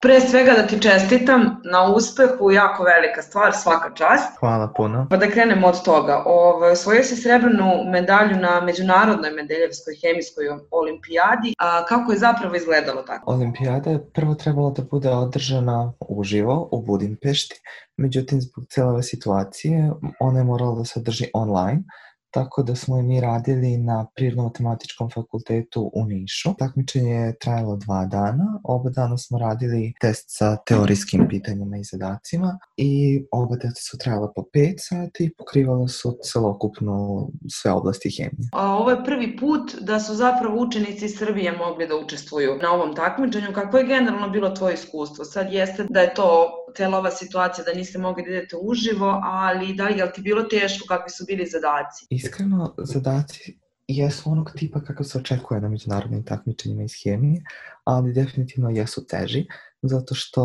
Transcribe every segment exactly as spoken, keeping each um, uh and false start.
Pre svega da ti čestitam na uspehu, jako velika stvar, svaka čast. Hvala puno. Pa da krenemo od toga. Ovo, osvojio si srebrnu medalju na Međunarodnoj Mendeljevskoj hemijskoj olimpijadi. A kako je zapravo izgledalo tako? Olimpijada je prvo trebala da bude održana uživo u Budimpešti, međutim zbog cele ove situacije ona je morala da se održi online, tako da smo i mi radili na Prirodno-matematičkom fakultetu u Nišu. Takmičenje je trajalo dva dana, oba dana smo radili test sa teorijskim pitanjima i zadacima i oba testa su trajala po pet sati i pokrivala su celokupno sve oblasti hemije. A ovo je prvi put da su zapravo učenici iz Srbije mogli da učestvuju na ovom takmičenju. Kako je generalno bilo tvoje iskustvo? Sad jeste da je to cela ova situacija da niste mogli da idete uživo, ali da li je ti bilo teško, kakvi su bili zadaci? Iskreno, zadaci jesu onog tipa kako se očekuje na međunarodnim takmičenjima iz hemije, ali definitivno jesu teži, zato što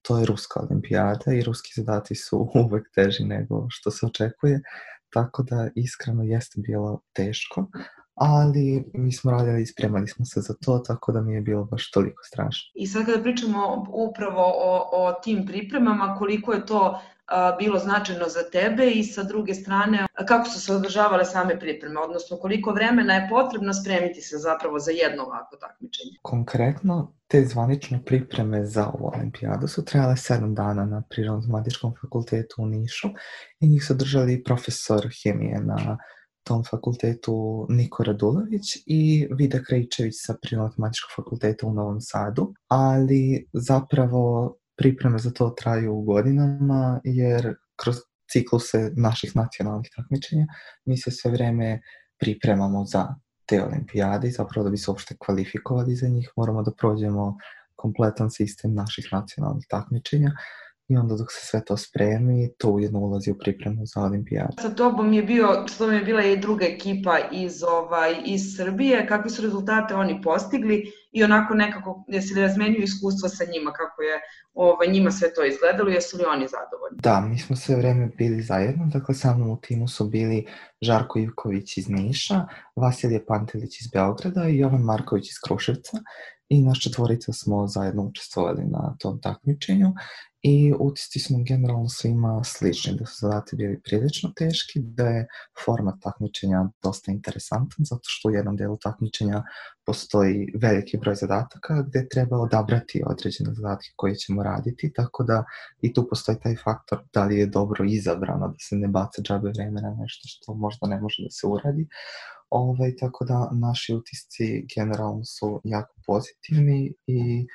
to je ruska olimpijada i ruski zadaci su uvek teži nego što se očekuje, tako da iskreno jeste bilo teško, ali mi smo radili i spremali smo se za to, tako da mi je bilo baš toliko strašno. I sad kada pričamo upravo o, o tim pripremama, koliko je to a, bilo značajno za tebe i sa druge strane, kako su se održavale same pripreme, odnosno koliko vremena je potrebno spremiti se zapravo za jedno ovako takmičenje? Konkretno, te zvanične pripreme za ovu olimpijadu su trajale sedam dana na Prirodno-matematičkom fakultetu u Nišu i njih su držali profesor hemije na tom fakultetu Niko Radulović i Vida Krajičević sa Prirodno-matematičkog fakulteta u Novom Sadu, ali zapravo pripreme za to traju godinama jer kroz cikluse naših nacionalnih takmičenja mi se sve vreme pripremamo za te olimpijade i zapravo da bi se uopšte kvalifikovali za njih moramo da prođemo kompletan sistem naših nacionalnih takmičenja i onda dok se sve to spremi, to ujedno ulazi u pripremu za olimpijadu. Sa tobom je, bio, sa tobom je bila i druga ekipa iz, ovaj, iz Srbije. Kakve su rezultate oni postigli i onako nekako, jesi li razmenjuju iskustva sa njima, kako je ovaj, njima sve to izgledalo, jesu li oni zadovoljni? Da, mi smo sve vreme bili zajedno, dakle sa mnom u timu su bili Žarko Ivković iz Niša, Vasilije Pantelić iz Beograda i Jovan Marković iz Kruševca i naš četvorica smo zajedno učestvovali na tom takmičenju i utisci su nam generalno svima slični, da su zadati bili prilično teški, da je format takmičenja dosta interesantan, zato što u jednom delu takmičenja postoji veliki broj zadataka gde treba odabrati određene zadatke koje ćemo raditi, tako da i tu postoji taj faktor da li je dobro izabrano, da se ne baca džabe vreme na nešto što možda ne može da se uradi. Ovaj, tako da naši utisci generalno su jako pozitivni i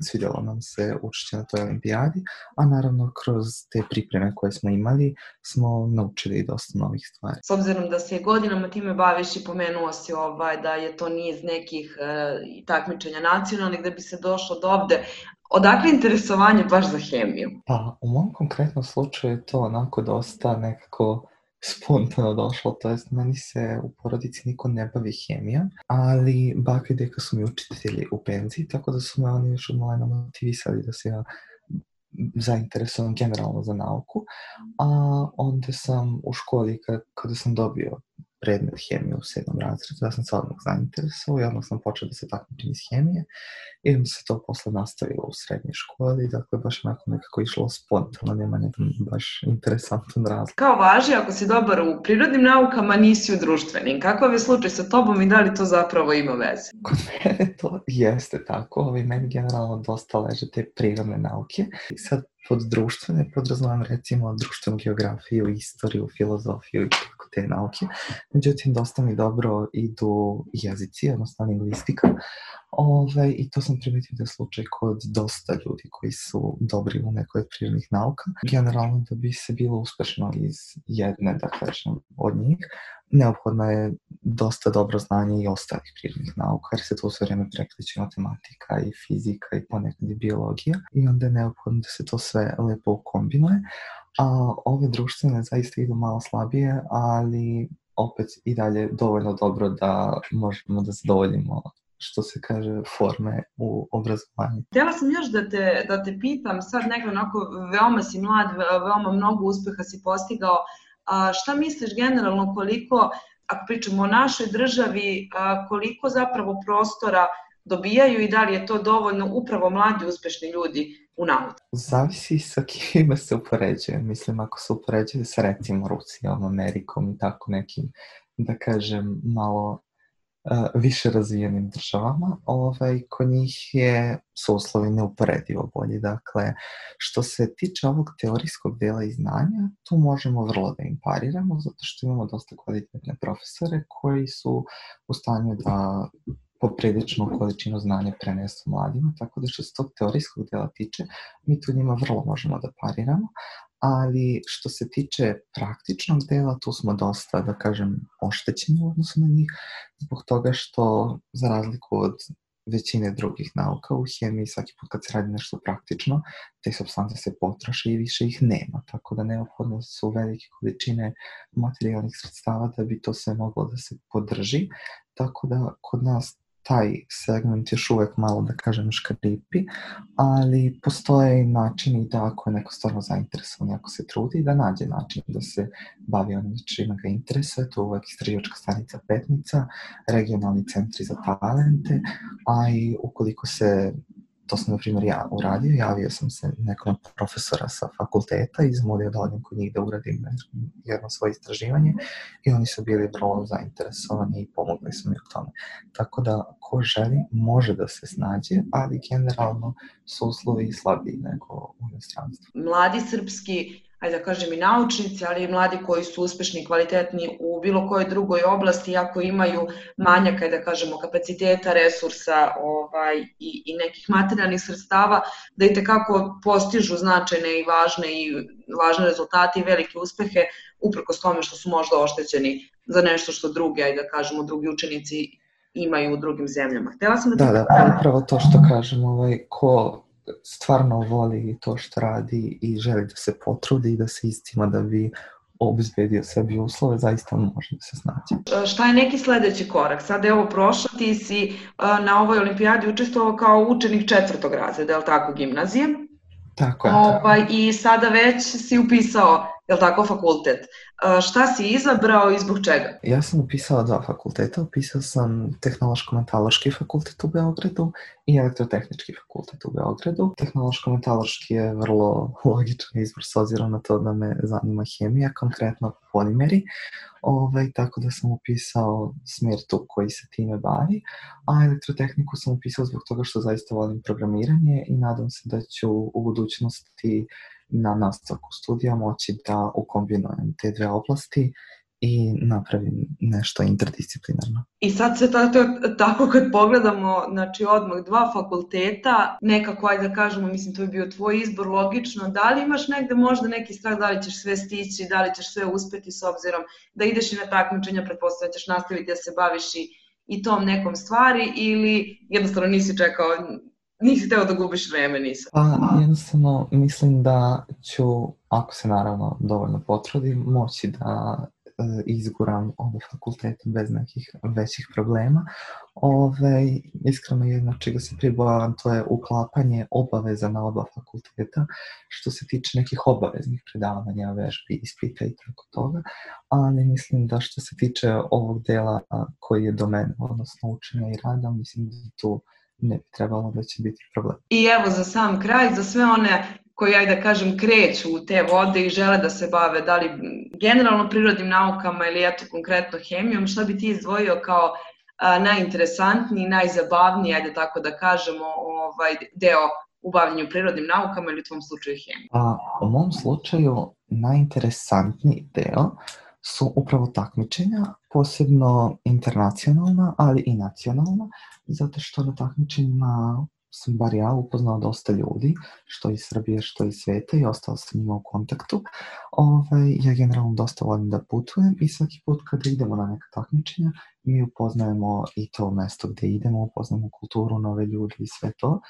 svidjelo nam se učešće na toj olimpijadi, a naravno kroz te pripreme koje smo imali smo naučili dosta novih stvari. S obzirom da se godinama time baviš i pomenuo si ovaj, da je to niz nekih e, takmičenja nacionalnih da bi se došlo do ovde, odakle interesovanje baš za hemiju? Pa u mom konkretnom slučaju je to onako dosta nekako spontano došlo, to jest meni se u porodici niko ne bavi hemijom, ali baka i deka su mi učitelji u penziji, tako da su me oni još od malena motivisali da se ja zainteresujem generalno za nauku, a onda sam u školi kada sam dobio predmet hemije u sedmom razredu, da sam se odmah zainteresovao i odmah sam počeo da se takmičim iz hemije i onda se to posle nastavilo u srednjoj školi, dakle baš onako nekako išlo spontano, nema nekako baš interesantan razlog. Kao važi, ako si dobar u prirodnim naukama, nisi u društvenim. Kakav je slučaj sa tobom i da li to zapravo ima veze? Kod mene to jeste tako, ovaj, meni generalno dosta leže te prirodne nauke i sad pod društvene podrazumijem recimo društvenu geografiju, istoriju, filozofiju i tako te nauke. Međutim, dosta mi dobro idu jezici, odnosno lingvistika. Ove, I to sam primetio da je slučaj kod dosta ljudi koji su dobri u nekoj od prirodnih nauka. Generalno da bi se bilo uspešno iz jedne, da kažem, od njih, neophodno je dosta dobro znanje i ostalih prirodnih nauka, jer se to sve vreme prekreće matematika i fizika i ponekad i biologija i onda je neophodno da se to sve lepo ukombinuje, a ove društvene zaista idu malo slabije, ali opet i dalje dovoljno dobro da možemo da zadovoljimo što se kaže, forme u obrazovanju. Htjela sam još da te, da te pitam, sad nekako onako veoma si mlad, veoma mnogo uspeha si postigao, a šta misliš generalno koliko, ako pričamo o našoj državi, koliko zapravo prostora dobijaju i da li je to dovoljno upravo mladi uspešni ljudi u nauci? Zavisi sa kime se upoređuje. Mislim, ako se upoređuje sa recimo Rusijom, Amerikom i tako nekim, da kažem, malo uh, više razvijenim državama, ovaj, kod njih je, su uslovi neuporedivo bolji. Dakle, što se tiče ovog teorijskog dela i znanja, tu možemo vrlo da im pariramo, zato što imamo dosta kvalitetne profesore koji su u stanju da popriličnu količinu znanja prenesu mladima, tako da što se tog teorijskog dela tiče, mi tu njima vrlo možemo da pariramo, ali što se tiče praktičnog dela, tu smo dosta, da kažem, oštećeni u odnosu na njih, zbog toga što, za razliku od većine drugih nauka, u hemiji svaki put kad se radi nešto praktično, te supstance se potroše i više ih nema, tako da neophodno su velike količine materijalnih sredstava da bi to sve moglo da se podrži, tako da kod nas taj segment još uvek malo, da kažem, škripi, ali postoje načini da ako je neko stvarno zainteresovan, ako se trudi, da nađe način da se bavi onim čime ga interesuje, to je uvek istraživačka stanica Petnica, regionalni centri za talente, a i ukoliko se, to sam na primjer ja uradio, javio sam se nekom profesora sa fakulteta i zamolio da odem kod njih da uradim jedno svoje istraživanje i oni su bili vrlo zainteresovani i pomogli su mi u tome. Tako da ko želi može da se snađe, ali generalno su uslovi slabiji nego u inostranstvu. Mladi srpski, ajde da kažem i naučnici, ali i mladi koji su uspešni i kvalitetni u bilo kojoj drugoj oblasti, ako imaju manjak, ajde da kažemo, kapaciteta, resursa ovaj, i, i nekih materijalnih sredstava, da i tekako postižu značajne i važne, i važne rezultate i velike uspehe, uprkos tome što su možda oštećeni za nešto što drugi, ajde da kažemo, drugi učenici imaju u drugim zemljama. Htela sam da... Da, da, upravo to što kažem, ovaj, ko stvarno voli to što radi i želi da se potrudi i da se istima da bi obezbedio sebi uslove, zaista može da se snađe. Šta je neki sledeći korak? Sada je ovo prošlo, ti si na ovoj olimpijadi učestvovao kao učenik četvrtog razreda, je li tako, gimnazije? Tako je. Ovaj, I sada već si upisao, je li tako, fakultet. Šta si izabrao i zbog čega? Ja sam upisao dva fakulteta. Upisao sam Tehnološko-metaloški fakultet u Beogradu i Elektrotehnički fakultet u Beogradu. Tehnološko-metaloški je vrlo logičan izbor s obzirom na to da me zanima hemija, konkretno polimeri. Ovaj, tako da sam upisao smjer tu koji se time bavi, a elektrotehniku sam upisao zbog toga što zaista volim programiranje i nadam se da ću u budućnosti na nastavku studija moći da ukombinujem te dve oblasti i napravim nešto interdisciplinarno. I sad sve tako, tako kad pogledamo, znači odmah dva fakulteta, nekako, ajde da kažemo, mislim to je bio tvoj izbor, logično, da li imaš negde možda neki strah, da li ćeš sve stići, da li ćeš sve uspeti s obzirom da ideš i na takmičenja, pretpostavljam da ćeš nastaviti da se baviš i, i tom nekom stvari, ili jednostavno nisi čekao, nisi teo da gubiš vreme, nisam? Pa jednostavno mislim da ću, ako se naravno dovoljno potrudim, moći da izguram ove fakultete bez nekih većih problema. Ove, iskreno jedno čega se pribojavam, to je uklapanje obaveza na oba fakulteta, što se tiče nekih obaveznih predavanja, vežbi, ispita i tako toga, ali mislim da što se tiče ovog dela koji je do mene, odnosno učenja i rada, mislim da tu ne bi trebalo da će biti problem. I evo za sam kraj, za sve one koji, ajde da kažem, kreću u te vode i žele da se bave, da li generalno prirodnim naukama ili eto konkretno hemijom, šta bi ti izdvojio kao a, najinteresantniji, najzabavniji, ajde tako da kažemo, ovaj, deo u bavljenju prirodnim naukama ili u tvom slučaju hemijom? A, u mom slučaju najinteresantniji deo su upravo takmičenja, posebno internacionalna, ali i nacionalna, zato što na takmičenjima sam bar ja upoznao dosta ljudi, što iz Srbije, što iz sveta i ostao sam njima u kontaktu. Ove, ja generalno dosta volim da putujem i svaki put kada idemo na neka takmičenja, mi upoznajemo i to mesto gde idemo, upoznajemo kulturu, nove ljudi i sve to.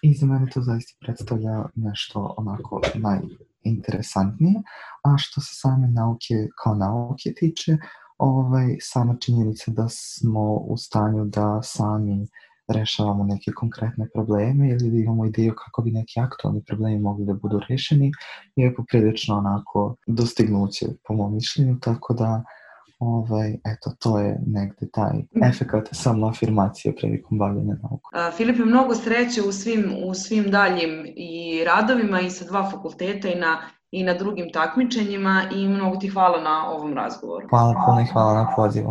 I za mene to zaista predstavlja nešto onako najinteresantnije. A što se same nauke kao nauke tiče, ovaj, sama činjenica da smo u stanju da sami rešavamo neke konkretne probleme ili da imamo ideju kako bi neki aktualni problemi mogli da budu rešeni je poprilično onako dostignuće po mom mišljenju, tako da Ovaj, eto, to je negde taj efekat samoafirmacije prilikom bavljanja naukom. Filipe, mnogo sreće u svim, u svim daljim i radovima i sa dva fakulteta i na, i na drugim takmičenjima i mnogo ti hvala na ovom razgovoru. Hvala puno i hvala na pozivu.